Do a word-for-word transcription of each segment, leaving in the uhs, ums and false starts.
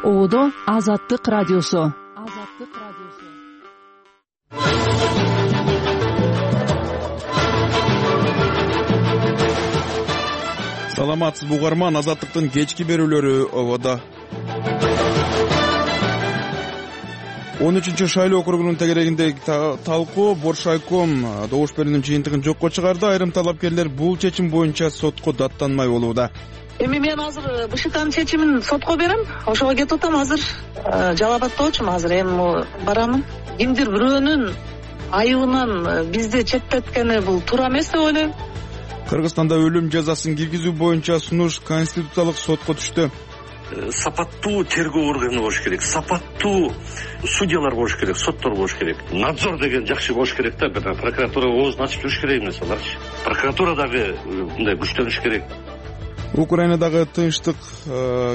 Оодо Азаттык радиосу. Азаттык радиосу. Саламатсызбы угарман, Азаттыктын кечки берүүлөрү ободо. он үчүнчү шайлоо округунун тегерегиндеги талкуу Боршайком добуш берүүнүн жыйынтыгын жокко чыгарды. Айрым талапкерлер бул чечим боюнча сотко даттанмай болууда. Эми мен азыр БШКнын чечимин сотко берем. Ошого кетип атам азыр. Жалап аттоочумун азыр. Эми барамын. Кимдир бирөөнүн айыбынан бизди четтеткени бул туура эмес деп ойлойм. Кыргызстанда өлүм жазасын киргизүү боюнча сунуш Конституциялык сотко түштү. Сапаттуу тергөө органы болуш керек, сапаттуу судьялар болуш керек, соттор болуш керек. Надзор деген жакшы болуш керек да, прокуратура оозун ачып жүрүш керек эмес аларчы. Прокуратура дагы мындай күчтөнүш керек. Украинадагы тынчтык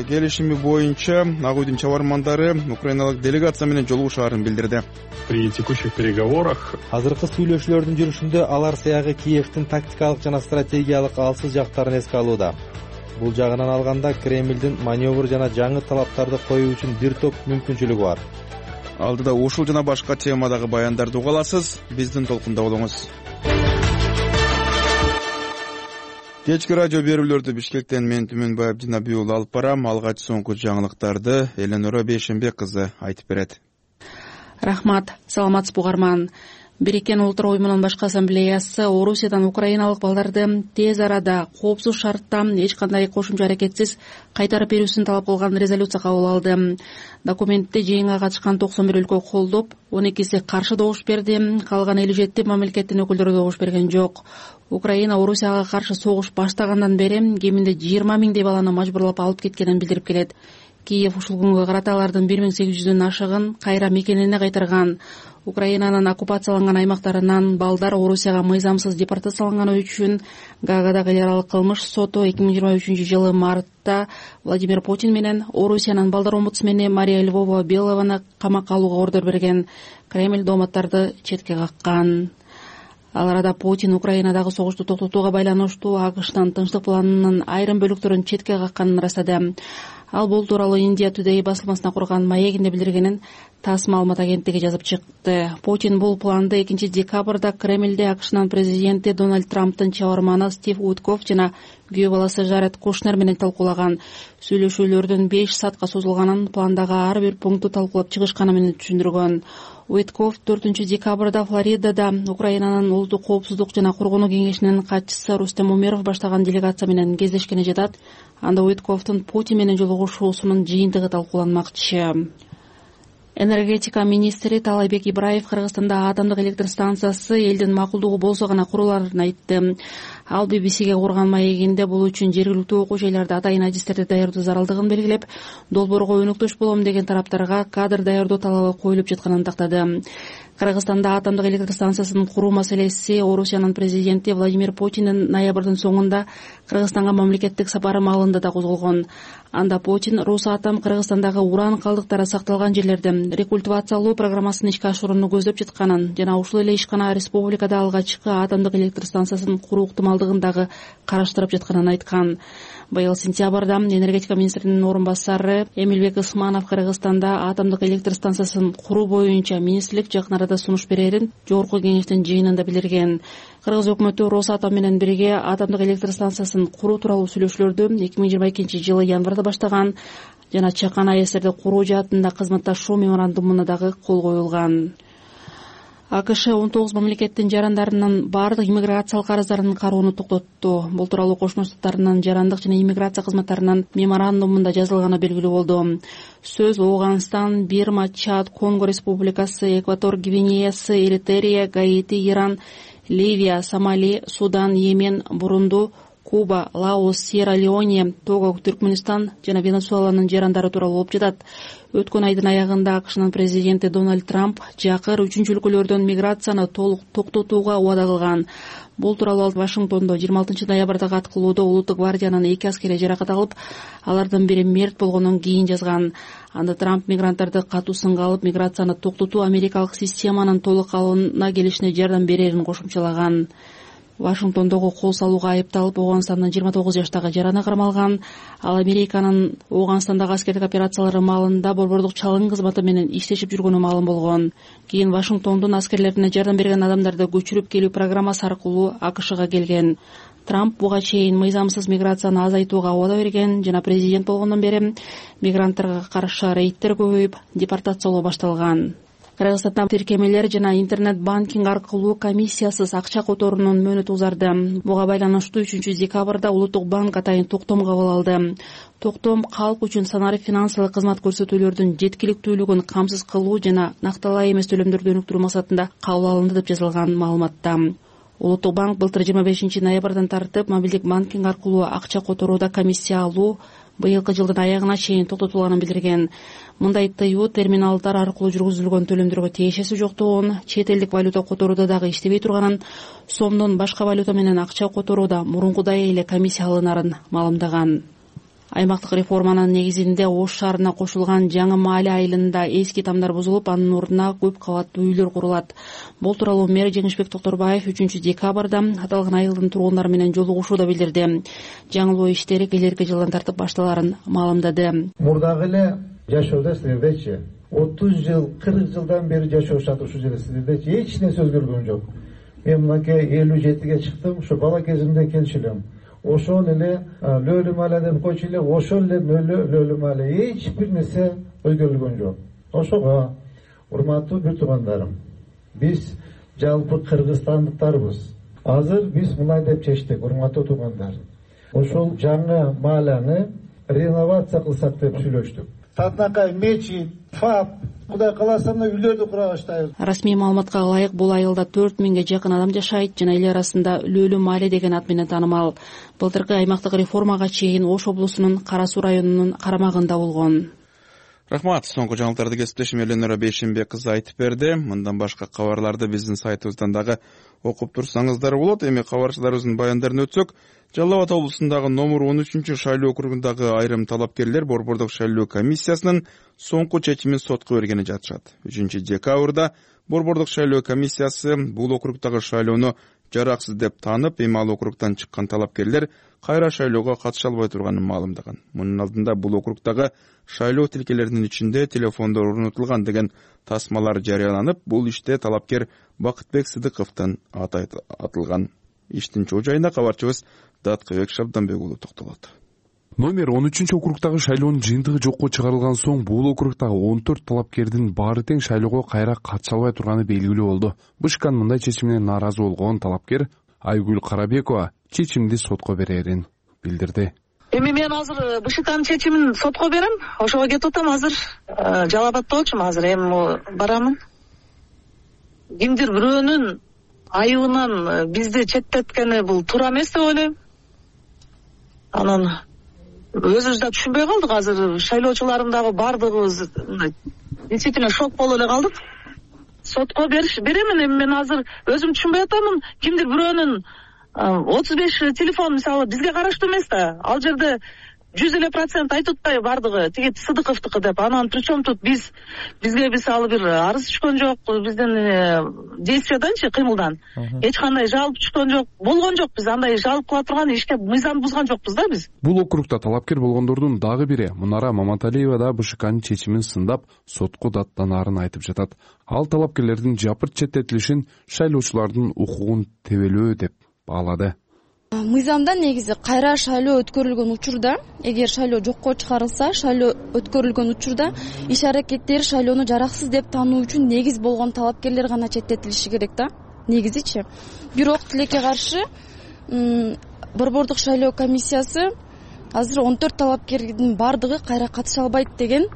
келишими боюнча Ак Үйдүн чабармандары украиналык делегация менен жолугушаарын билдирди. При текущих переговорах азыркы сүйлөшүүлөрдүн жүрүшүндө алар сыягы Киевдин тактикалык жана стратегиялык алсыз жактарын эске алууда. Бул жагынан алганда Кремлдин маневр жана жаңы талаптарды коюу үчүн бир топ мүмкүнчүлүгү бар. Алдыда ушул жана башка темадагы баяндарды уга аласыз. Биздин толкунда болуңуз. Кечки радио берүүлөрдү Бишкектен мен Түмөнбай Абдинабий уулу алып барам. Алгач соңку жаңылыктарды Эленора Бейшембек кызы айтып берет. Рахмат. Саламатсызбы угарман. Бириккен Улуттар уюмунун башкы ассамблеясы Орусиядан украиналык балдарды тез арада коопсуз шартта эч кандай кошумча аракетсиз кайтарып берүүсүн талап кылган резолюция кабыл алды. Документти жыйынга катышкан токсон бир өлкө колдоп, он экиси каршы добуш берди. Калган элүү жети мамлекеттин өкүлдөрү добуш берген жок. Украина Орусияга каршы согуш баштагандан бери кеминде жыйырма миңдей баланы мажбурлап алып кеткенин билдирип келет. Киев ушул күнгө карата алардын бир миң сегиз жүздөн ашыгын кайра мекенине кайтарган. Украинанын оккупацияланган аймактарынан балдар Орусияга мыйзамсыз депортацияланганы үчүн Гаагадагы эл аралык кылмыш соту эки миң жыйырма үчүнчү жылы мартта Владимир Путин менен Орусиянын балдар омбудсмени Мария Львова Белованы камакка алууга ордер берген. Кремль дооматтарды четке каккан. Ал арада Путин Украинадагы согушту токтотууга байланыштуу АКШтын тынчтык планынын айрым бөлүктөрүн четке какканын ырастады. Ал бул тууралуу Индия Today басылмасына курган маегинде билдиргенин ТАСС маалымат агенттиги жазып чыкты. Путин бул планды экинчи декабрда Кремлде АКШнын президенти Дональд Трамптын чабарманы Стив Уиткоф жана күйөө баласы Жаред Кушнер менен талкуулаган. Сүйлөшүүлөрдүн беш саатка созулганын, пландагы ар бир пункту талкуулап чыгышканы менен түшүндүргөн. Уиткоф төртүнчү декабрда Флоридада Украинанын улуттук коопсуздук жана коргонуу кеңешинин катчысы Рустем Умеров баштаган делегация менен кездешкени жатат. Анда Уитковдун Путин менен жолугушуусунун жыйынтыгы талкууланмакчы. Энергетика министри Таалайбек Ибраев Кыргызстанда атомдук электр станциясы элдин макулдугу болсо гана куруларын айтты. Ал би би сиге курган маегинде бул үчүн жергиликтүү окуу жайларда атайын адистерди даярдоо зарылдыгын белгилеп, долбоорго өнөктөш болом деген тараптарга кадр даярдоо талабы коюлуп жатканын тактады. Кыргызстанда атомдук электр станциясын куруу маселеси Орусиянын президенти Владимир Путиндин ноябрдын соңунда Кыргызстанга мамлекеттик сапары маалында да козголгон. Анда Путин Росатом Кыргызстандагы уран калдыктары сакталган жерлерди рекультивациялоо программасын ишке ашырууну көздөп жатканын жана ушул эле ишкана республикада алгачкы атомдук электр станциясын куруу ыктымалдыгын дагы караштырып жатканын айткан. Быйыл сентябрда энергетика министринин орун басары Эмилбек Ысманов Кыргызстанда атомдук электр станциясын куруу боюнча министрлик жакын арада сунуш берерин жогорку кеңештин жыйынында билдирген. Кыргыз өкмөтү Росатом менен бирге атомдук электр станциясын куруу тууралуу сүйлөшүүлөрдү эки миң жыйырма экинчи жылы январда баштаган жана чакан АЭСтерди куруу жаатында кызматташуу меморандумуна дагы кол коюлган. АКШ он тогуз мамлекеттин жарандарынын бардык иммиграциялык арыздарын кароону токтотту. Бул тууралуу Кошмо Штаттарынын жарандык жана иммиграция кызматтарынын меморандумунда жазылганы белгилүү болду. Сөз Ооганстан, Бирма, Чад, Конго Республикасы, Экватор Гвинеясы, Эритрия, Гаити, Иран, Ливия, Сомали, Судан, Йемен, Бурунду, Куба, Лаос, Сьерра-Леоне, Того, Түркмөнстан жана Венесуэланын жарандары тууралуу болуп жатат. Өткөн айдын аягында АКШнын президенти Дональд Трамп жакыр үчүнчү өлкөлөрдөн миграцияны толук токтотууга убада кылган. Бул тууралуу Вашингтондо жыйырма алтынчы ноябрдагы аткылоодо Улуттук гвардиянын эки аскери жаракат алып, алардын бири мерт болгондон кийин жазган. Анда Трамп мигранттарды катуу сынга алып, миграцияны токтотуу америкалык системанын толук алууна келишине жардам берерин кошумчалаган. Вашингтондогу кол салууга айыпталып Ооганстандын жыйырма тогуз жаштагы жараны кармалган. Ал Американын Ооганстандагы аскердик операциялары маалында борбордук чалгын кызматы менен иштешип жүргөнү маалым болгон. Кийин Вашингтондун аскерлерине жардам берген адамдарды көчүрүп келүү программасы аркылуу АКШга келген. Трамп буга чейин мыйзамсыз миграцияны азайтууга убада берген жана президент болгондон бери мигранттарга каршы рейдтер көбөйүп, депортациялоо башталган. Кыргызстанда тиркемелер жана интернет-банкинг аркылуу комиссиясыз акча которуунун мөөнөтү узарды. Буга байланыштуу үчүнчү декабрда Улуттук банк атайын токтом кабыл алды. Токтом калк үчүн санарип финансылык кызмат көрсөтүүлөрдүн жеткиликтүүлүгүн камсыз кылуу жана накталай эмес төлөмдөрдү өнүктүрүү максатында кабыл алынды деп жазылган маалыматта. Улуттук банк былтыр жыйырма бешинчи ноябрдан тартып мобилдик банкинг аркылуу акча которууда комиссия алуу быйылкы жылдын аягына чейин токтотулганын билдирген. Мындай тыюу терминалдар аркылуу жүргүзүлгөн төлөмдөргө тиешеси жоктугун, чет элдик валюта которууда дагы иштебей турганын, сомдон башка валюта менен акча которууда мурункудай эле комиссия алынарын маалымдаган. Аймактык реформанын негизинде Ош шаарына кошулган Жаңы Маале айылында эски тамдар бузулуп, анын ордуна көп кабаттуу үйлөр курулат. Бул тууралуу мэр Жеңишбек Токторбаев үчүнчү декабрда аталган айылдын тургундары менен жолугушууда билдирди. Жаңылоо иштери келерки жылдан тартып башталарын маалымдады. Мурдагы эле жашоодо силердечи отуз жыл, кырк жылдан бери жашашат ушул жерде силердечи эч нерсе өзгөргөн жок. Мен мынакей элүү жетиге чыктым, ушу бала кезимде келчү элем. Ошол эле Лөлү Маале деп койчу эле, ошол эле Лөлү Маале, эч бир нерсе өзгөрүлгөн жок. Ошого урматтуу бир туугандарым, биз жалпы кыргызстандыктарбыз. Азыр биз мындай деп чечтик, урматтуу туугандар. Ошол Жаңы Маалени реновация кылсак деп сүйлөштүк. Татнакай, мечит, фап, Кудай кааласа үйлөрдү кура баштайбыз. Расмий маалыматка ылайык бул айылда төрт миңге жакын адам жашайт жана эл арасында Лөлү Маале деген ат менен таанымал. Былтыркы аймактык реформага чейин Ош облусунун Кара Суу районунун карамагында болгон. Рахмат. Соңку жаңылыктарды кесиптешим Эленора Бейшенбек кызы айтып берди. Мындан башка кабарларды биздин сайтыбыздан дагы окуп турсаңыздар болот. Эми кабарчыларыбыздын баяндарын өтсөк, Жалал Абад облусундагы номер он үчүнчү шайлоо округундагы айрым талапкерлер борбордук шайлоо комиссиясынын соңку чечимин сотко бергени жатышат. үчүнчү декабрда борбордук шайлоо комиссиясы бул округдагы шайлоону жараксыз деп таанып, эми ал округдан чыккан талапкерлер кайра шайлоого катыша албай турганын маалымдаган. Мунун алдында бул округдагы шайлоо тилкелеринин ичинде телефондор орнотулган деген тасмалар жарыяланып, бул иште талапкер Бакытбек Сыдыковдун аты атылган. Иштин чоо жайына кабарчыбыз Даткыбек Шабданбек уулу токтолот. Номер он үчүнчү округдагы шайлоонун жыйынтыгы жокко чыгарылган соң бул округдагы он төрт талапкердин баары тең шайлоого кайра катыша албай турганы белгилүү болду. БШКнын мындай чечимине нааразы болгон талапкер Айгүл Карабекова чечимди сотко берерин билдирди. Эми мен азыр БШКнын чечимин сотко берем. Ошого кетип атам азыр. Жалал Абадта болчумун азыр, эми барамын. Кимдир бирөөнүн айыбынан бизди четтеткени бул туура эмес деп ойлойм. Анан өзүбүз да түшүнбөй калдык. Азыр шайлоочулардын дагы бардыгыбыз действительно шок болуп эле калдык. Сотко бериш беремин. Эми мен азыр өзүм түшүнбөй атамын. Кимдир бирөөнүн отуз беш телефон мисалы бизге караштуу эмес да. Ал жерде жүз элүү процент айтып атпайбы бардыгы тиги Сыдыковдуку деп. Анан причем тут биз бизге мисалы бир арыз түшкөн жок, биздин действияданчы, кыймылдан эч кандай жалоба түшкөн жок, болгон жок. Биз андай жалоба кыла турган ишке мыйзамды бузган жокпуз да биз. Бул округда талапкер болгондордун дагы бири Мунара Маматалиева да БШКнын чечимин сындап, сотко даттанаарын айтып жатат. Ал талапкерлердин жапырт четтетилишин шайлоочулардын укугун тебелөө деп баалады. Мыйзамда негизи кайра шайлоо өткөрүлгөн учурда, эгер шайлоо жокко чыгарылса, шайлоо өткөрүлгөн учурда иш аракеттер шайлоону жараксыз деп таануу үчүн негиз болгон талапкерлер гана четтетилиши керек да, негизичи. Бирок тилекке каршы борбордук шайлоо комиссиясы азыр он төрт талапкердин бардыгы кайра катыша албайт деген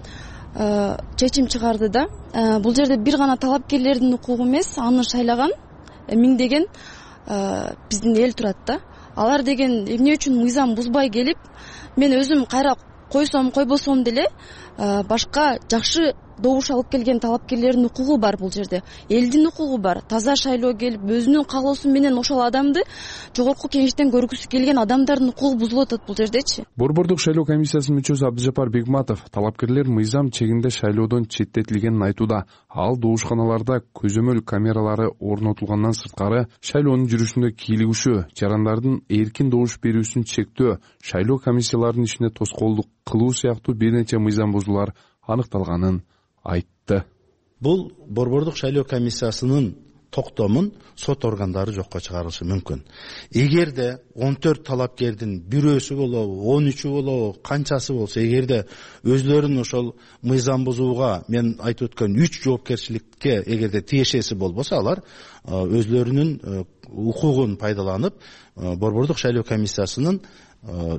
чечим чыгарды да. Бул жерде бир гана талапкерлердин укугу эмес, аны шайлаган миңдеген биздин эл турат да. Алар деген эмне үчүн мыйзам бузбай келип, мен өзүм кайра койсом койбосом деле башка жакшы добуш алып келген талапкерлердин укугу бар, бул жерде элдин укугу бар. Таза шайлоо келип өзүнүн каалоосу менен ошол адамды жогорку кеңештен көргүсү келген адамдардын укугу бузулуп атат бул жердечи. Борбордук шайлоо комиссиясынын мүчөсү Абдыжапар Бегматов талапкерлер мыйзам чегинде шайлоодон четтетилгенин айтууда. Ал добушканаларда көзөмөл камералары орнотулгандан сырткары шайлоонун жүрүшүндө кийлигишүү, жарандардын эркин добуш берүүсүн чектөө, шайлоо комиссияларынын ишине тоскоолдук кылуу сыяктуу бир нече мыйзам бузуулар аныкталганын айтты. Бул борбордук шайлоо комиссиясынын токтомун сот органдары жокко чыгарышы мүмкүн. Эгерде он төрт талапкердин бирөөсү болобу, он үчү болобу, канчасы болсо, эгерде өзлөрүн ошол мыйзам бузууга мен айтып өткөн үч жоопкерчиликке эгерде тиешеси болбосо, алар өзлөрүнүн укугун пайдаланып борбордук шайлоо комиссиясынын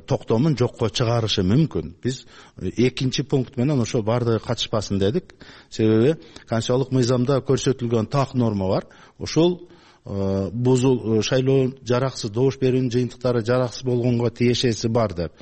токтомун жокко чыгарышы мүмкүн. Биз экинчи пункт менен ошо баардыгы катышпасын дедик. Себеби конституциялык мыйзамда көрсөтүлгөн так норма бар. Ошол бузул шайлоо жараксыз, добуш берүүнүн жыйынтыктары жараксыз болгонго тиешеси бар деп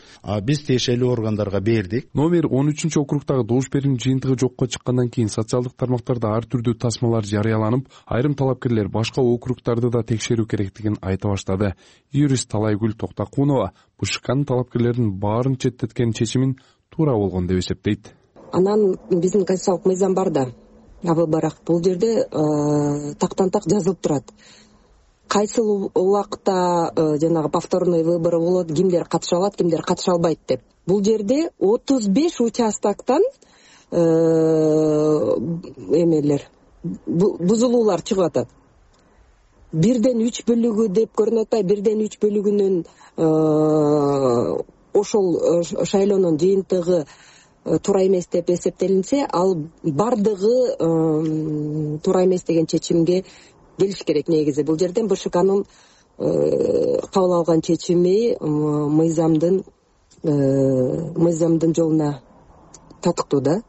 биз тиешелүү органдарга бердик. Номер он үчүнчү округдагы добуш берүүнүн жыйынтыгы жокко чыккандан кийин социалдык тармактарда ар түрдүү тасмалар жарыяланып, айрым талапкерлер башка округдарды да текшерүү керектигин айта баштады. Юрист Талайгүл Токтакунова БШКнын талапкерлердин баарын четтеткен чечимин туура болгон деп эсептейт. Анан биздин конституциялык мыйзам бар да. Бирок бул жерде тактан так жазылып турат. Кайсы убакта жанагы повторный выбор болот, кимдер катыша алат, кимдер катыша албайт деп. Бул жерде отуз беш участоктон эмелер бузулуулар чыгып атат. Бирден үч бөлүгү деп көрүнүп атпайбы? Бирден үч бөлүгүнүн ошол шайлоонун жыйынтыгы туура эмес деп эсептелинсе, ал бардыгы туура эмес деген чечимге келиш керек. Негизи бул жерден БШКнын кабыл алган чечими мыйзамдын мыйзамдын жолуна татыктуу да.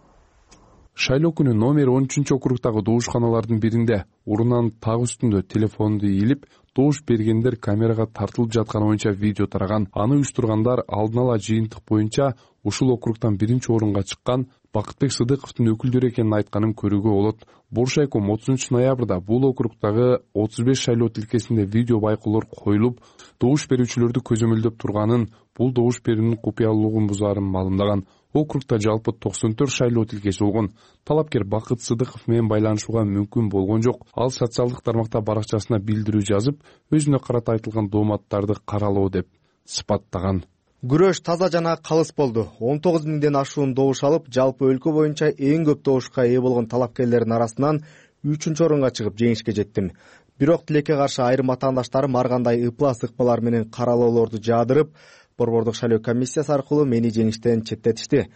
Шайлоо күнү номер он үчүнчү округдагы добушканалардын биринде урунанын так үстүндө телефонду ийилип, добуш бергендер камерага тартылып жатканы боюнча видео тараган. Аны уюштургандар алдын ала жыйынтык боюнча ушул округдан биринчи орунга чыккан Бакытбек Сыдыковдун өкүлдөрү экенин айтканын көрүүгө болот. Боршайком отузунчу ноябрда бул округдагы отуз беш шайлоо тилкесинде видео байкоолор коюлуп, добуш берүүчүлөрдү көзөмөлдөп турганын, бул добуш берүүнүн купуялуулугун бузаарын маалымдаган. Округда жалпы токсон төрт шайлоо тилкеси болгон. Талапкер Бакыт Сыдыков менен байланышууга мүмкүн болгон жок. Ал социалдык тармакта баракчасына билдирүү жазып, өзүнө карата айтылган дооматтарды каралоо деп сыпаттаган. Күрөш таза жана калыс болду. он тогуз миңден ашуун добуш алып, жалпы өлкө боюнча эң көп добушка ээ болгон талапкерлердин арасынан үчүнчү орунга чыгып жеңишке жеттим. Бирок тилекке каршы айрым атаандаштарым ар кандай ыплас ыкмалар менен каралоолорду жаадырып, борбордук шайлоо комиссиясы аркылуу мени жеңиштен четтетишти.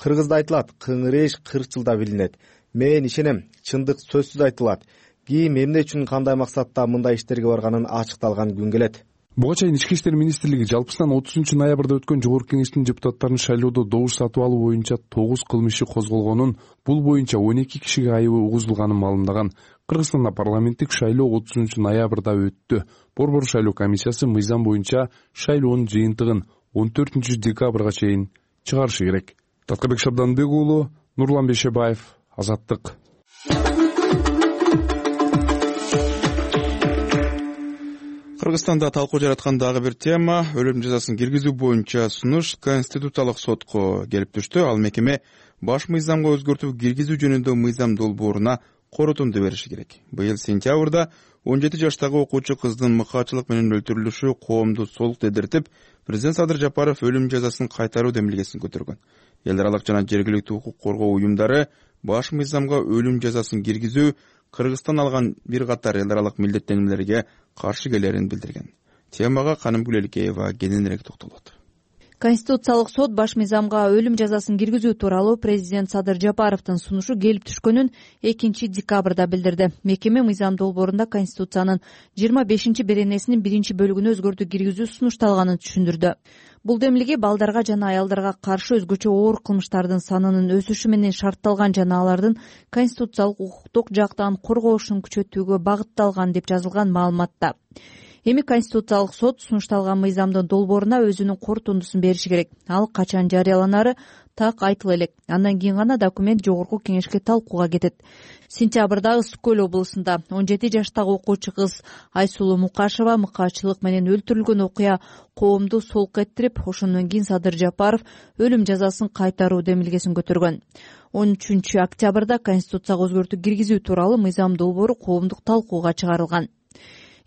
Кыргызда айтылат, кыңыр эш кырк жылда билинет. Мен ишенем, чындык сөзсүз айтылат. Ким эмне үчүн кандай максатта мындай иштерге барганын ачыкталган күн келет. Буга чейин Ички иштер министрлиги жалпысынан отузунчу ноябрда өткөн жогорку кеңештин депутаттарынын шайлоодо добуш сатып алуу боюнча тогуз кылмыш иши козголгонун, бул боюнча он эки кишиге айыбы угузулганын маалымдаган. Кыргызстанда парламенттик шайлоо отузунчу ноябрда өттү. Борбор шайлоо комиссиясы мыйзам боюнча шайлоонун жыйынтыгын он төртүнчү декабрга чейин чыгарышы керек. Таткабек Шабданбек уулу, Нурлан Бешебаев, Азаттык. Кыргызстанда талкуу жараткан дагы бир тема өлүм жазасын киргизүү боюнча сунуш Конституциялык сотко келип түштү. Ал мекеме баш мыйзамга өзгөртүү киргизүү жөнүндө мыйзам долбооруна корутунду бериши керек. Быйыл сентябрда он жети жаштагы окуучу кыздын мыкаачылык менен өлтүрүлүшү коомду солук дедиртип, президент Садыр Жапаров өлүм жазасын кайтаруу демилгесин көтөргөн. Эл аралык жана жергиликтүү укук коргоо уюмдары баш мыйзамга өлүм жазасын киргизүү Кыргызстан алган бир катар эл аралык милдеттенүүлөргө каршы келерин билдирген. Темага Канымгүл Элкеева кененирээк токтолот. Конституциялык сот баш мыйзамга өлүм жазасын киргизүү тууралуу президент Садыр Жапаровдун сунушу келип түшкөнүн экинчи декабрда билдирди. Мекеме мыйзам долбоорунда Конституциянын жыйырма бешинчи беренесинин биринчи бөлүгүнө өзгөртүү киргизүү сунушталганын түшүндүрдү. Бул демилге балдарга жана аялдарга каршы өзгөчө оор кылмыштардын санынын өсүшү менен шартталган жана алардын конституциялык укуктук жактан корголушун күчөтүүгө багытталган деп жазылган маалыматта. Эми Конституциялык сот сунушталган мыйзамдын долбооруна өзүнүн корутундусун бериши керек. Ал качан жарыяланары так айтыла элек. Андан кийин гана документ жогорку кеңешке талкууга кетет. Сентябрда Ысык Көл облусунда он жети жаштагы окуучу кыз Айсулуу Мукашева мыкаачылык менен өлтүрүлгөн окуя коомду солк эттирип, ошондон кийин Садыр Жапаров өлүм жазасын кайтаруу демилгесин көтөргөн. он үчүнчү октябрда Конституцияга өзгөртүү киргизүү тууралуу мыйзам долбоору коомдук талкууга чыгарылган.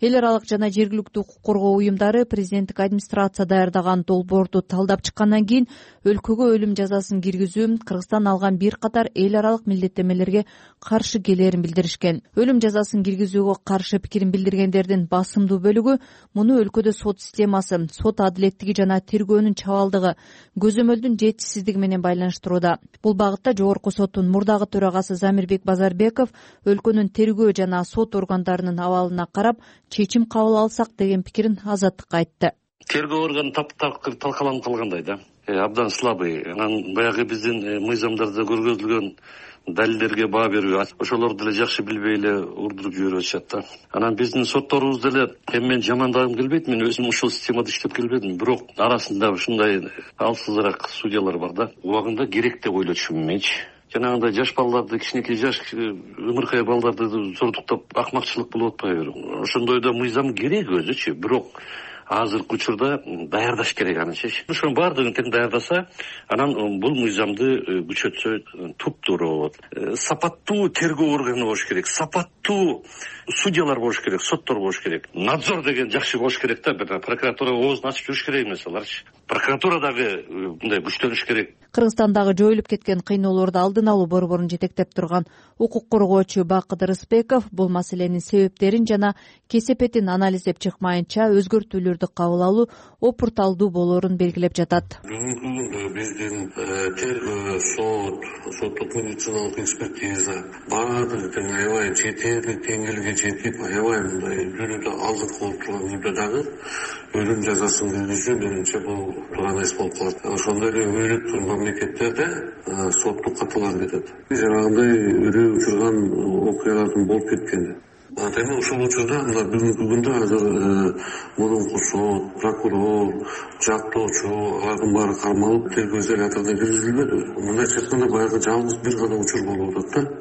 Эл аралык жана жергиликтүү укук коргоо уюмдары президенттик администрация даярдаган долбоорду талдап чыккандан кийин өлкөгө өлүм жазасын киргизүү Кыргызстан алган бир катар эл аралык милдеттенмелерге каршы келээрин билдиришкен. Өлүм жазасын киргизүүгө каршы пикирин билдиргендердин басымдуу бөлүгү муну өлкөдө сот системасы, сот адилеттиги жана тергөөнүн чабалдыгы, көзөмөлдүн жетишсиздиги менен байланыштырууда. Бул багытта жогорку соттун мурдагы төрагасы Замирбек Базарбеков өлкөнүн тергөө жана сот органдарынын абалына карап чечим кабыл алсак деген пикирин Азаттыкка айтты. Тергөө органы талкаланып калгандай да, абдан слабый. Анан баягы биздин мыйзамдарда көргөзүлгөн далилдерге баа берүү, ошолорду деле жакшы билбей эле урдуруп жиберип атышат да. Анан биздин сотторубуз деле эми мен жамандагым келбейт, мен өзүм ушул системада иштеп келбедим, бирок арасында ушундай алсызыраак судьялар бар да. Убагында керек деп ойлочумун менчи. Жанагындай жаш балдарды, кичинекей жаш ымыркай балдарды зордуктап акмакчылык болуп атпайбы? Ошондойдо мыйзам керек өзүчү, бирок азыркы учурда даярдаш керек анычы. Ошонун баардыгын тең даярдаса, анан бул мыйзамды күчөтсө туптуруу болот. Сапаттуу тергөө органы болуш керек, сапаттуу судьялар болуш керек, соттор болуш керек. Надзор деген жакшы болуш керек да, прокуратура оозун ачып жүрүш керек эмес аларчы. Прокуратура дагы мындай күчтөнүш керек. Кыргызстандагы жоюлуп кеткен кыйноолорду алдын алуу борборун жетектеп турган укук коргоочу Бакыт Рыспеков бул маселенин себептерин жана кесепетин анализдеп чыкмайынча өзгөртүүлөрдү кабыл алуу опурталдуу болоорун белгилеп жатат. Бүгүнкү күндө биздин тергөө, сот, соттук медициналык экспертиза баардыгы тең аябай жетерлик деңгээлге жетип, аябай мындай жүрүүдө алдыркы болуп турган үйдө дагы өлүм жазасын киргизүү менимче бул туура эмес болуп калат. Ошондой эле өйрөттүр мамлекеттерде соттук каталар кетет. Жанагындай үрөө учурган окуялардын болуп кеткени. Эми ушул учурда мына бүгүнкү күндө азыр мурунку сот, прокурор, жактоочу алардын баары кармалып тергөө изоляторуна киргизилбеди. Мындайча айтканда баягы жалгыз бир гана учур болуп атат да.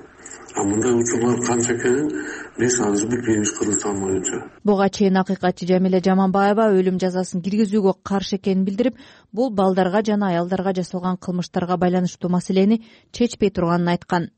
А мындай учурлар канча экенин биз азыр билбейбиз Кыргызстан боюнча. Буга чейин акыйкатчы Жамиля Жаманбаева өлүм жазасын киргизүүгө каршы экенин билдирип, бул балдарга жана аялдарга жасалган кылмыштарга байланыштуу маселени чечпей турганын айткан.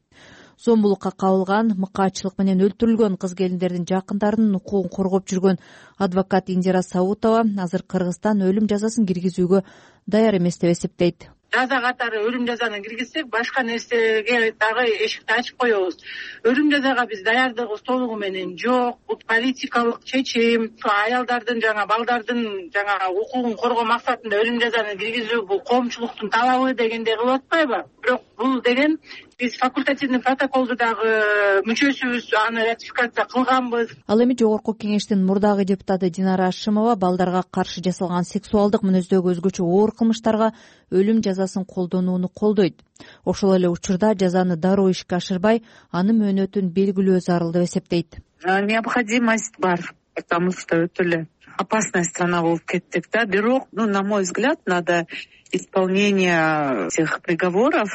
Зомбулукка кабылган, мыкаачылык менен өлтүрүлгөн кыз келиндердин жакындарынын укугун коргоп жүргөн адвокат Индира Сабутова азыр Кыргызстан өлүм жазасын киргизүүгө даяр эмес деп эсептейт. Жаза катары өлүм жазаны киргизсек, башка нерсеге дагы эшикти ачып коебуз. Өлүм жазага биз даярдыгыбыз толугу менен жок. Бул политикалык чечим. Аялдардын жана балдардын жана укугун коргоо максатында өлүм жазаны киргизүү бул коомчулуктун талабы дегендей кылып атпайбы? Бирок бул деген биз факультативный протоколду дагы мүчөсүбүз, аны ратификация кылганбыз. Ал эми жогорку кеңештин мурдагы депутаты Динара Ашимова балдарга каршы жасалган сексуалдык мүнөздөгү өзгөчө оор кылмыштарга өлүм жазасын колдонууну колдойт. Ошол эле учурда жазаны дароо ишке ашырбай, анын мөөнөтүн белгилөө зарыл деп эсептейт. Необходимость бар, потому что өтө эле опасная страна болуп кеттик да. Бирок, ну, на мой взгляд, надо исполнение этих приговоров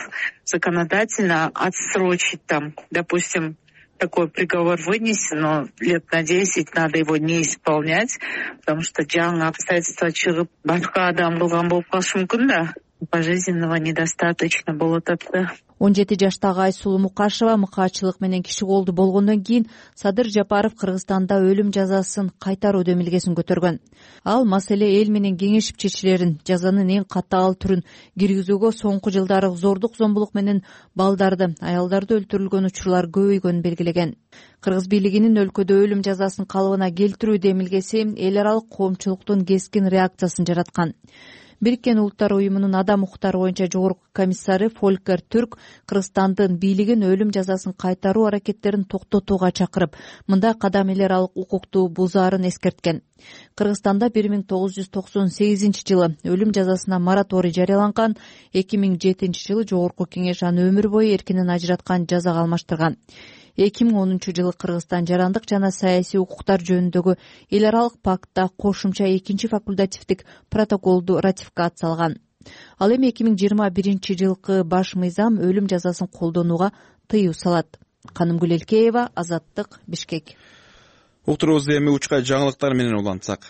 законодательно отсрочить там. Допустим, такой приговор вынесен, но лет на десять надо его не исполнять, потому что жаңы обстоятельства чыгып башка адам кылган болуп калышы мүмкүн да. Пожизненного недостаточно болуп атты. он жети жаштагы Айсулуу Мукашева мыкаачылык менен киши колду болгондон кийин Садыр Жапаров Кыргызстанда өлүм жазасын кайтаруу демилгесин көтөргөн. Ал маселе эл менен кеңешип чечилерин, жазанын эң катаал түрүн киргизүүгө соңку жылдары зордук, зомбулук менен балдарды, аялдарды өлтүрүлгөн учурлар көбөйгөнүн белгилеген. Кыргыз бийлигинин өлкөдө өлүм жазасын калыбына келтирүү демилгеси эл аралык коомчулуктун кескин реакциясын жараткан. Бириккен Улуттар уюмунун адам укуктары боюнча жогорку комиссары Фолькер Түрк Кыргызстандын бийлигин өлүм жазасын кайтаруу аракеттерин токтотууга чакырып, мындай кадам эл аралык укукту бузаарын эскерткен. Кыргызстанда бир миң тогуз жүз токсон сегизинчи жылы өлүм жазасына мораторий жарыяланган, эки миң жетинчи жылы жогорку кеңеш аны өмүр бою эркинен ажыраткан жазага алмаштырган. эки миң онунчу жылы Кыргызстан жарандык жана саясий укуктар жөнүндөгү эл аралык пактта кошумча экинчи факультативдик протоколду ратификациялаган. Ал эми эки миң жыйырма биринчи жылкы баш мыйзам өлүм жазасын колдонууга тыюу салат. Канымгүл Элкеева, Азаттык, Бишкек. Уктурубузду эми учкай жаңылыктар менен улантсак.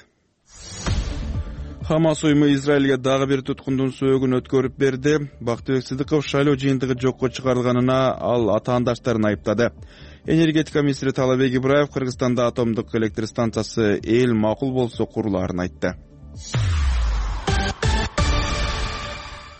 Хамас уюму Израилге дагы бир туткундун сөөгүн өткөрүп берди. Бактыбек Сыдыков шайлоо жыйынтыгы жокко чыгарылганына ал атаандаштарын айыптады. Энергетика министри Талабек Ибраев Кыргызстанда атомдук электр станциясы эл макул болсо курулаарын айтты.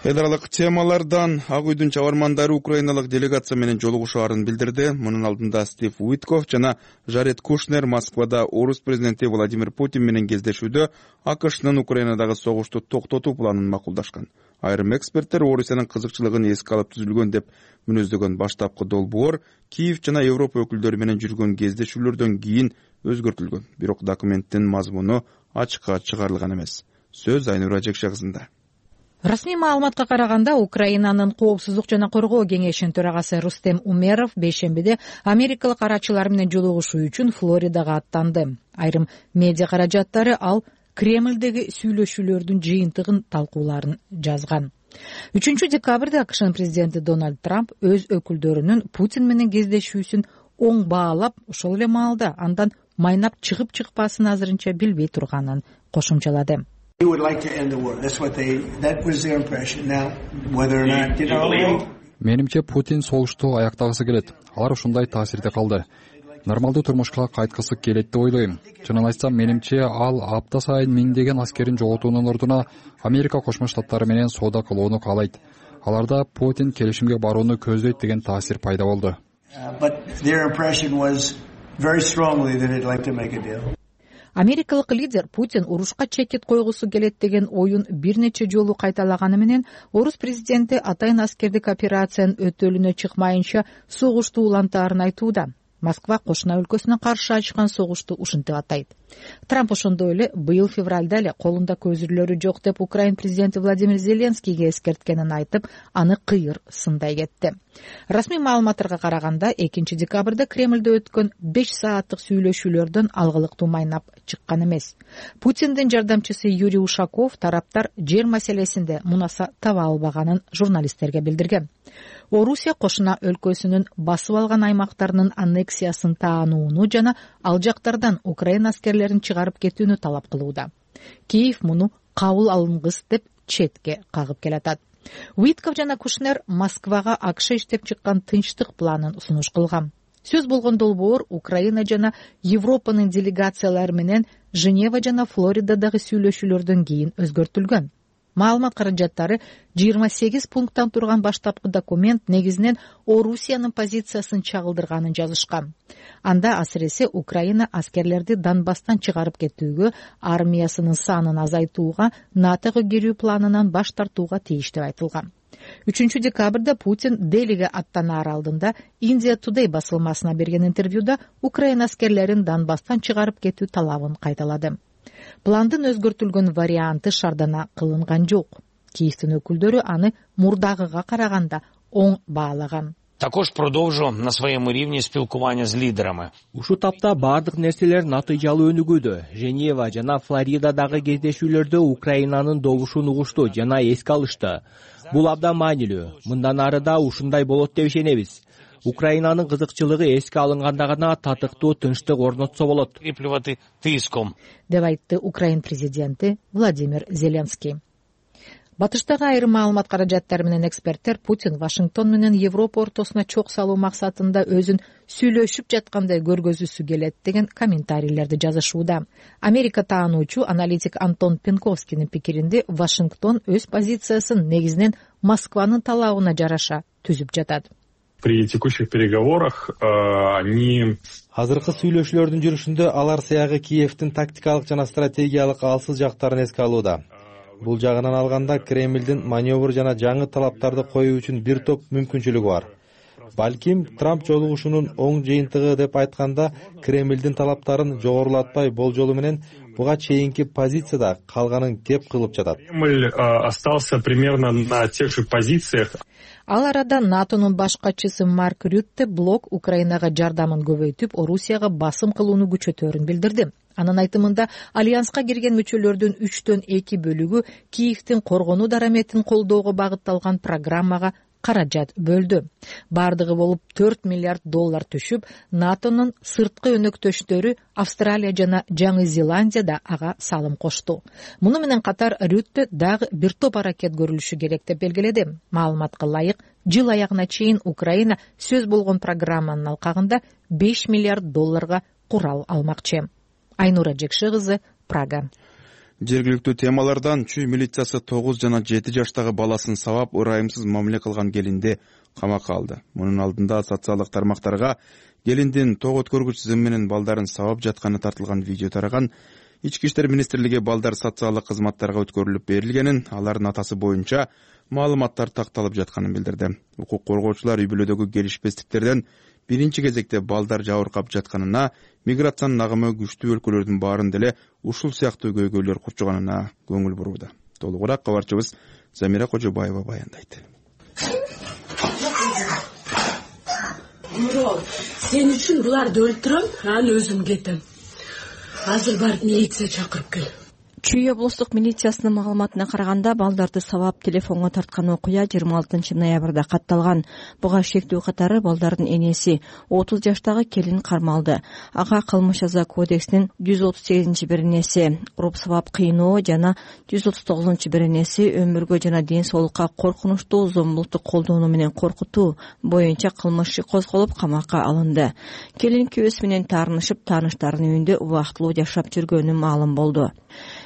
Эл аралык темалардан Ак үйдүн чабармандары украиналык делегация менен жолугушаарын билдирди. Мунун алдында Стив Уитков жана Жаред Кушнер Москвада орус президенти Владимир Путин менен кездешүүдө АКШнын Украинадагы согушту токтотуу планын макулдашкан. Айрым эксперттер Орусиянын кызыкчылыгын эске алып түзүлгөн деп мүнөздөгөн баштапкы долбоор Киев жана Европа өкүлдөрү менен жүргөн кездешүүлөрдөн кийин өзгөртүлгөн. Бирок документтин мазмуну ачыкка чыгарылган эмес. Сөз Айнура Жекшегызында. Расмий маалыматка караганда, Украинанын Коопсуздук жана Коргоо кеңешинин төрагасы Рустем Умеров бейшембиде америкалык карачылар менен жолугушуу үчүн Флоридага аттанды. Айрым медиа каражаттары ал Кремлдеги сүйлөшүүлөрдүн жыйынтыгын талкууларын жазган. үчүнчү декабрда АКШнын президенти Дональд Трамп өз өкүлдөрүнүн Путин менен кездешүүсүн оң баалап, ошол эле маалда андан майнап чыгып чыкпасын азырынча билбей турганын кошумчалады. Менимче Путин согушту аяктагысы келет. Алар ушундай таасирде калды. Нормалдуу турмушка кайткысы келет деп ойлойм. Чынын айтсам, менимче ал апта сайын миңдеген аскерин жоготуунун ордуна Америка Кошмо Штаттары менен соода кылууну каалайт. Аларда Путин келишимге барууну көздөйт деген таасир пайда болду. Америкалык лидер Путин урушка чекит койгусу келет деген оюн бир нече жолу кайталаганы менен орус президенти атайын аскердик операциянын өтөлүнө чыкмайынча согушту улантаарын айтууда. Москва кошуна өлкөсүнө каршы ачкан согушту ушинтип атайт. Трамп ошондой эле быйыл февралда эле колунда көзүрлөрү жок деп Украин президенти Владимир Зеленскийге эскерткенин айтып, аны кыйыр сындай кетти. Расмий маалыматтарга караганда, экинчи декабрда Кремлде өткөн беш сааттык сүйлөшүүлөрдөн алгылыктуу майнап чыккан эмес. Путиндин жардамчысы Юрий Ушаков тараптар жер маселесинде мунаса таба албаганын журналисттерге билдирген. Орусия кошуна өлкөсүнүн басып алган аймактарынын аннексиясын таанууну жана ал жактардан Украина аскерлерин чыгарып кетүүнү талап кылууда. Киев муну кабыл алынгыс деп четке кагып келатат. Уитков жана Кушнер Москвага АКШ иштеп чыккан тынчтык планын сунуш кылган. Сөз болгон долбоор Украина жана Европанын делегациялары менен Женева жана Флоридадагы сүйлөшүүлөрдөн кийин өзгөртүлгөн. Маалымат каражаттары жыйырма сегиз пункттан турган баштапкы документ негизинен Орусиянын позициясын чагылдырганын жазышкан. Анда асыресе Украина аскерлерди Донбасстан чыгарып кетүүгө, армиясынын санын азайтууга, НАТОго кирүү планынан баш тартууга тийиш деп айтылган. үчүнчү декабрда Путин Делиге аттанаар алдында Индия Today басылмасына берген интервьюда Украина аскерлерин Донбасстан чыгарып кетүү талабын кайталады. Пландын өзгөртүлгөн варианты шардана кылынган жок. Киевтин өкүлдөрү аны мурдагыга караганда оң баалаган. Також продолжу на своем уровне спилкування з лидерами. Ушу тапта бардык нерселер натыйжалуу өнүгүүдө. Женева жана Флоридадагы кездешүүлөрдө Украинанын добушун угушту жана эске алышты. Бул абдан маанилүү. Мындан ары да ушундай болот деп ишенебиз. Украинанын кызыкчылыгы эске алынганда гана татыктуу тынчтык орнотсо болот. Деп айтты Украин президенти Владимир Зеленский. Батыштагы айрым маалымат каражаттары менен эксперттер Путин Вашингтон менен Европа ортосуна чок салуу максатында өзүн сүйлөшүп жаткандай көргөзүүсү келет деген комментарийлерди жазышууда. Америка таануучу аналитик Антон Пенковскийдин пикиринде Вашингтон өз позициясын негизинен Москванын талабына жараша түзүп жатат. При текущих переговорах они азыркы сүйлөшүүлөрдүн жүрүшүндө алар сыягы Киевдин тактикалык жана стратегиялык алсыз жактарын эске алууда. Бул жагынан алганда Кремлдин маневр жана жаңы талаптарды коюу үчүн бир топ мүмкүнчүлүгү бар. балким Трамп жолугушуунун оң жыйынтыгы деп айтканда Кремлдин талаптарын жогорулатпай болжолу менен буга чейинки позицияда калганын кеп кылып жатат. Кремль остался примерно на тех же позициях. Ал арада НАТОнун баш катчысы Марк Рютте блок Украинага жардамын көбөйтүп, Орусияга басым кылууну күчөтөөрүн билдирди. Анын айтымында альянска кирген мүчөлөрдүн үчтөн эки бөлүгү Киевдин коргонуу дараметин колдоого багытталган программага каражат бөлдү. Бардыгы болуп төрт миллиард доллар түшүп, НАТОнун сырткы өнөктөштөрү Австралия жана Жаңы Зеландия да ага салым кошту. Муну менен катар Рютте дагы бир топ аракет көрүлүшү керек деп белгиледи. Маалыматка ылайык, жыл аягына чейин Украина сөз болгон программанын алкагында беш миллиард долларга курал алмакчы. Айнура Жекши кызы, Прага. Жергиликтүү темалардан Чүй милициясы тогуз жана жети жаштагы баласын сабап, ырайымсыз мамиле кылган келинди камакка алды. Мунун алдында социалдык тармактарга келиндин ток өткөргүч зым менен балдарын сабап жатканы тартылган видео тараган. Ички иштер министрлиги балдар социалдык кызматтарга өткөрүлүп берилгенин, алардын атасы боюнча маалыматтар такталып жатканын билдирди. Укук коргоочулар үй бүлөдөгү келишпестиктерден биринчи кезекте балдар жабыркап жатканына, миграциянын агымы күчтүү өлкөлөрдүн баарын деле ушул сыяктуу көйгөйлөр курчуганына көңүл бурууда. Толугураак кабарчыбыз Замира Кожобаева баяндайт. Мурол, сен үчүн буларды өлтүрөм, анан өзүм кетем. Азыр барып милиция чакырып кел. Чүй облустук милициясынын маалыматына караганда, балдарды сабап телефонго тарткан окуя жыйырма алтынчы ноябрда катталган. Буга шектүү катары балдардын энеси отуз жаштагы келин кармалды. Ага кылмыш жаза кодексинин жүз отуз сегизинчи беренеси уруп сабап кыйноо жана жүз отуз тогузунчу беренеси өмүргө жана ден соолукка коркунучтуу зомбулукту колдонуу менен коркутуу боюнча кылмыш иши козголуп камакка алынды. Келин күйөөсү менен таарынышып, тааныштарынын үйүндө убактылуу жашап жүргөнү маалым болду.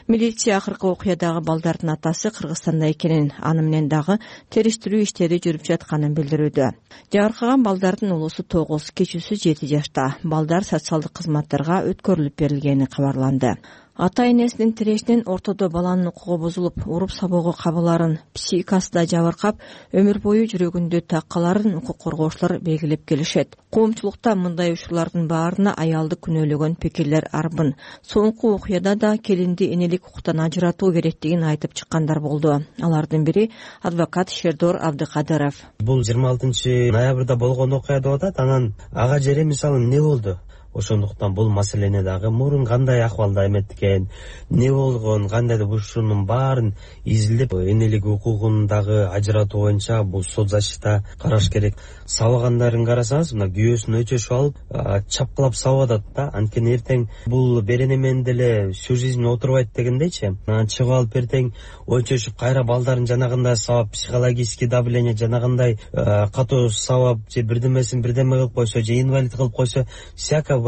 Милиция акыркы окуядагы балдардын атасы Кыргызстанда экенин, аны менен дагы териштирүү иштери жүрүп жатканын билдирүүдө. Жабыркаган балдардын улусу тогуз, кичүүсү жети жашта. Балдар социалдык кызматтарга өткөрүлүп берилгени кабарланды. Ата энесинин тирешинен ортодо баланын укугу бузулуп, уруп сабоого кабыларын, психикасы да жабыркап, өмүр бою жүрөгүндө таккаларын укук коргоочулар белгилеп келишет. Коомчулукта мындай учурлардын баарына аялды күнөөлөгөн пикирлер арбын. Соңку окуяда да келинди энелик укуктан ажыратуу керектигин айтып чыккандар болду. Алардын бири адвокат Шердор Абдыкадыров. Бул жыйырма алтынчы ноябрда болгон окуя деп атат. Анан ага жере мисалы эмне болду? Ошондуктан бул маселени дагы мурун кандай акыбалда эметкен, эмне болгон, кандай деп ушунун баарын изилдеп, энелик укугун дагы ажыратуу боюнча бул сот защита караш керек. Сабагандарын карасаңыз, мына күйөөсүн өчөшүп алып, чапкылап сабап атат да. Анткени эртең бул берене менен деле всю жизнь отурбайт дегендейчи. Анан чыгып алып эртең өчөшүп кайра балдарын жанагындай сабап, психологический давление жанагындай катуу сабап, же бирдемесин бирдеме кылып койсо, же инвалид кылып койсо, всяко.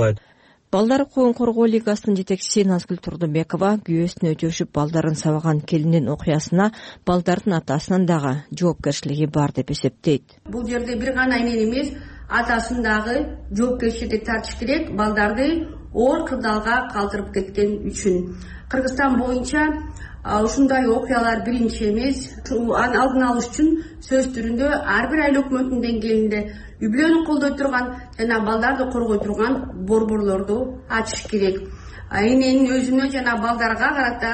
Балдар укугун коргоо лигасынын жетекчиси Назгүл Турдубекова күйөөсүн өчөшүп балдарын сабаган келиндин окуясына балдардын атасынын дагы жоопкерчилиги бар деп эсептейт. Бул жерде бир гана энени эмес, атасын дагы жоопкерчиликке тартыш керек, балдарды оор кырдаалга калтырып кеткен үчүн. Кыргызстан боюнча ушундай окуялар биринчи эмес. Аны алдын алыш үчүн сөз түрүндө ар бир айыл өкмөтүнүн деңгээлинде үй бүлөнү колдой турган жана балдарды коргой турган борборлорду ачыш керек. Эненин өзүнө жана балдарга карата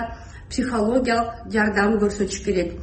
психологиялык жардам көрсөтүш керек.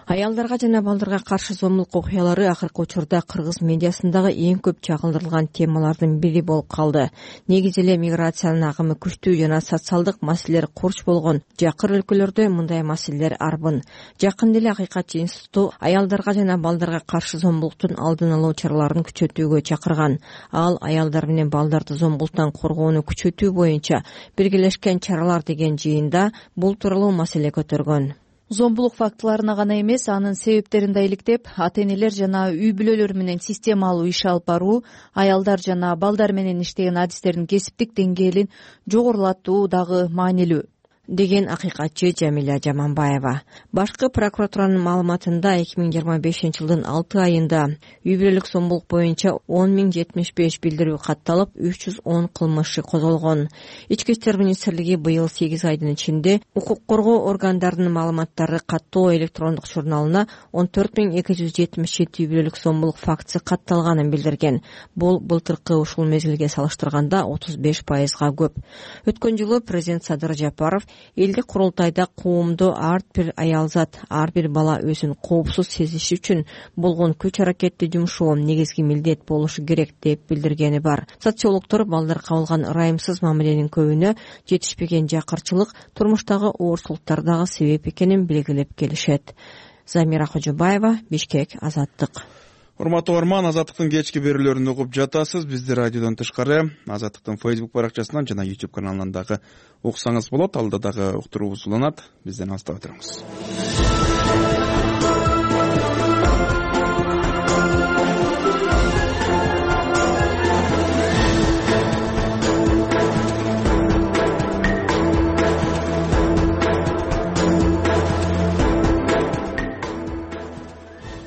Аялдарга жана балдарга каршы зомбулук окуялары акыркы учурда кыргыз медиасындагы эң көп чагылдырылган темалардын бири болуп калды. Негизи эле миграциянын агымы күчтүү жана социалдык маселелер курч болгон жакыр өлкөлөрдө мындай маселелер арбын. Жакында эле Акыйкатчы институту аялдарга жана балдарга каршы зомбулуктун алдын алуу чараларын күчөтүүгө чакырган. Ал аялдар менен балдарды зомбулуктан коргоону күчөтүү боюнча биргелешкен чаралар деген жыйында бул тууралуу маселе көтөргөн. Зомбулук фактыларына гана эмес, анын себептерин да иликтеп, ата-энелер жана үй бүлөлөр менен системалуу иш алып баруу, аялдар жана балдар менен иштеген адистердин кесиптик деңгээлин жогорулатуу дагы маанилүү. деген акыйкатчы Жамиля Жаманбаева. Башкы прокуратуранын маалыматында эки миң жыйырма бешинчи жылдын алты айында үй бүлөлүк зомбулук боюнча он миң жетимиш беш билдирүү катталып, үч жүз он кылмыш козголгон. Ички иштер министрлиги быйыл сегиз айдын ичинде укук коргоо органдарынын маалыматтары каттоо электрондук журналына он төрт миң эки жүз жетимиш жети үй бүлөлүк зомбулук фактысы катталганын билдирген. Бул былтыркы ушул мезгилге салыштырганда отуз беш пайызга көп. Өткөн жылы президент Садыр Жапаров элдик курултайда коомдо ар бир аялзат, ар бир бала өзүн коопсуз сезиши үчүн болгон күч аракетти жумшоо негизги милдет болушу керек деп билдиргени бар. Социологдор балдарга болгон ырайымсыз мамиленин көбүнө жетишпеген жакырчылык, турмуштагы оорсулуктар дагы себеп экенин белгилеп келишет. Замира Кожобаева, Бишкек, Азаттык. Урматтуу угарман, Азаттыктын кечки берүүлөрүн угуп жатасыз. Бизди радиодон тышкары Азаттыктын Facebook баракчасынан жана YouTube каналынан дагы уксаңыз болот. Алда дагы уктуруубуз уланат. Бизден алыстабай туруңуз.